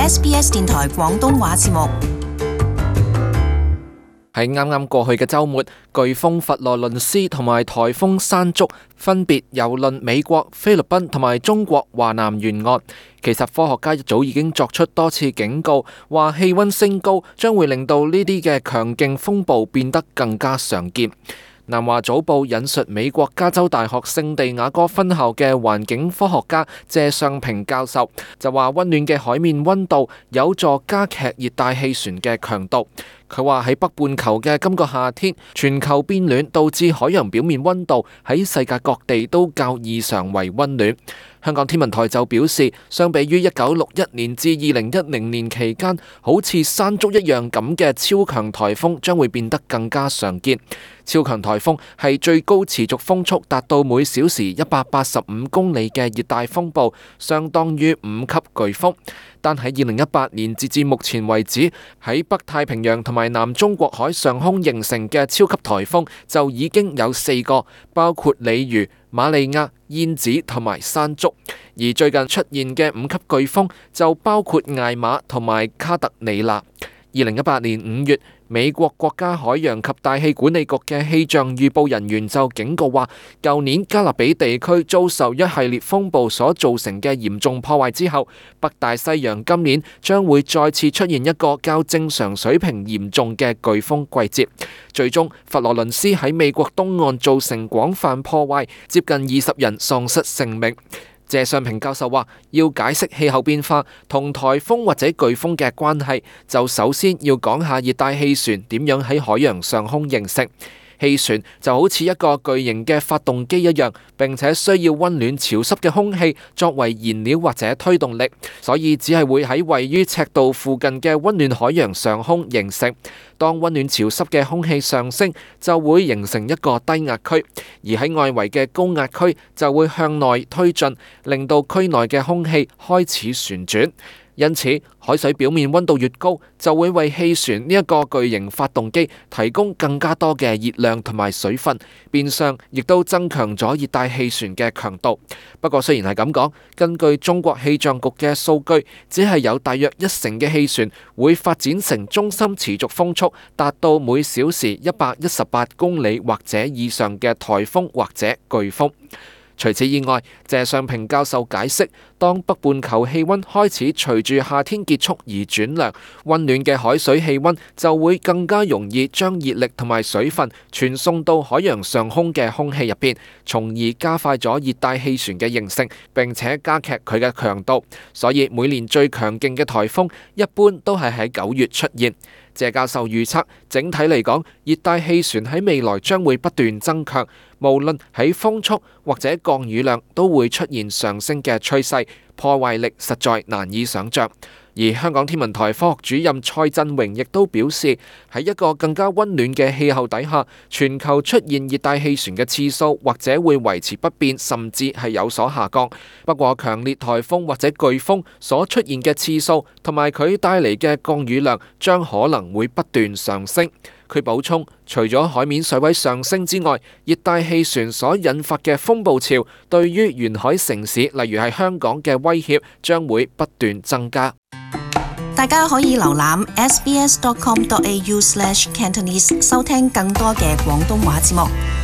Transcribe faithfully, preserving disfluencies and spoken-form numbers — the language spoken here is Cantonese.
S B S 電台廣東話節目。喺啱啱過去嘅週末，颶風佛羅倫斯同埋颱風山竹分別蹂躪美國、菲律賓同埋中國華南沿岸。其實科學家一早已經作出多次警告，話氣溫升高將會令到呢啲嘅強勁風暴變得更加常見。南華早報引述美國加州大學聖地亞哥分校嘅環境科學家謝尚平教授就話，溫暖嘅海面溫度有助加劇熱帶氣旋嘅強度。佢話喺北半球嘅今個夏天，全球變暖導致海洋表面溫度喺世界各地都較異常為溫暖。香港天文台就表示，相比於一九六一年至二零一零年期間好似山竹一樣咁嘅超強颱風將會變得更加常見。超強颱風係最高持續風速達到每小時一百八十五公里嘅熱帶風暴，相當於五級颶風。但喺二零一八年截至目前為止，喺北太平洋同埋南中國海上空形成嘅超級颱風就已經有四個，包括鯉魚、瑪利亞、燕子同埋山竹。而最近出現嘅五級颶風就包括艾瑪同埋卡特里娜。二零一八年五月，美國國家海洋及大氣管理局嘅氣象預報人員就警告話，舊年加勒比地區遭受一系列風暴所造成嘅嚴重破壞之後，北大西洋今年將會再次出現一個較正常水平嚴重嘅颶風季節。最終，佛羅倫斯喺美國東岸造成廣泛破壞，接近二十人喪失性命。謝尚平教授話，要解釋氣候變化同颱風或者颶風嘅關係，就首先要講下熱帶氣旋點樣喺海洋上空形成。氣旋就好似一個巨型嘅發動機一樣，並且需要溫暖潮濕嘅空氣作為燃料或者推動力，所以只係會喺位於赤道附近嘅溫暖海洋上空形成。當溫暖潮濕嘅空氣上升，就會形成一個低壓區，而喺外圍嘅高壓區就會向內推進，令到區內嘅空氣開始旋轉。因此，海水表面溫度越高，就會為氣旋呢一個巨型發動機提供更加多嘅熱量同埋水分，變相亦都增強咗熱帶氣旋嘅強度。不過雖然係咁講，根據中國氣象局嘅數據，只係有大約一成嘅氣旋會發展成中心持續風速達到每小時一百一十八公里或者以上嘅颱風或者颶風。除此以外，謝尚平教授解釋，當北半球氣溫開始隨住夏天結束而轉涼，溫暖嘅海水氣溫就會更加容易將熱力同埋水分傳送到海洋上空嘅空氣入邊，從而加快咗熱帶氣旋嘅形成，並且加劇佢嘅強度。所以每年最強勁嘅颱風一般都係喺九月出現。謝教授預測，整體嚟講，熱帶氣旋喺未來將會不斷增強，無論喺風速或者降雨量都會出現上升嘅趨勢，破壞力實在難以想像。而香港天文台科學主任蔡振榮亦都表示，喺一個更加溫暖嘅氣候底下，全球出現熱帶氣旋嘅次數或者會維持不變，甚至係有所下降。不過強烈颱風或者颶風所出現嘅次數同埋佢帶嚟嘅降雨量將可能會不斷上升。佢補充，除咗海面水位上升之外，熱帶氣旋所引發嘅風暴潮對於沿海城市，例如係香港嘅威脅將會不斷增加。大家可以瀏覽 s b s dot com dot a u slash cantonese 收聽更多嘅廣東話節目。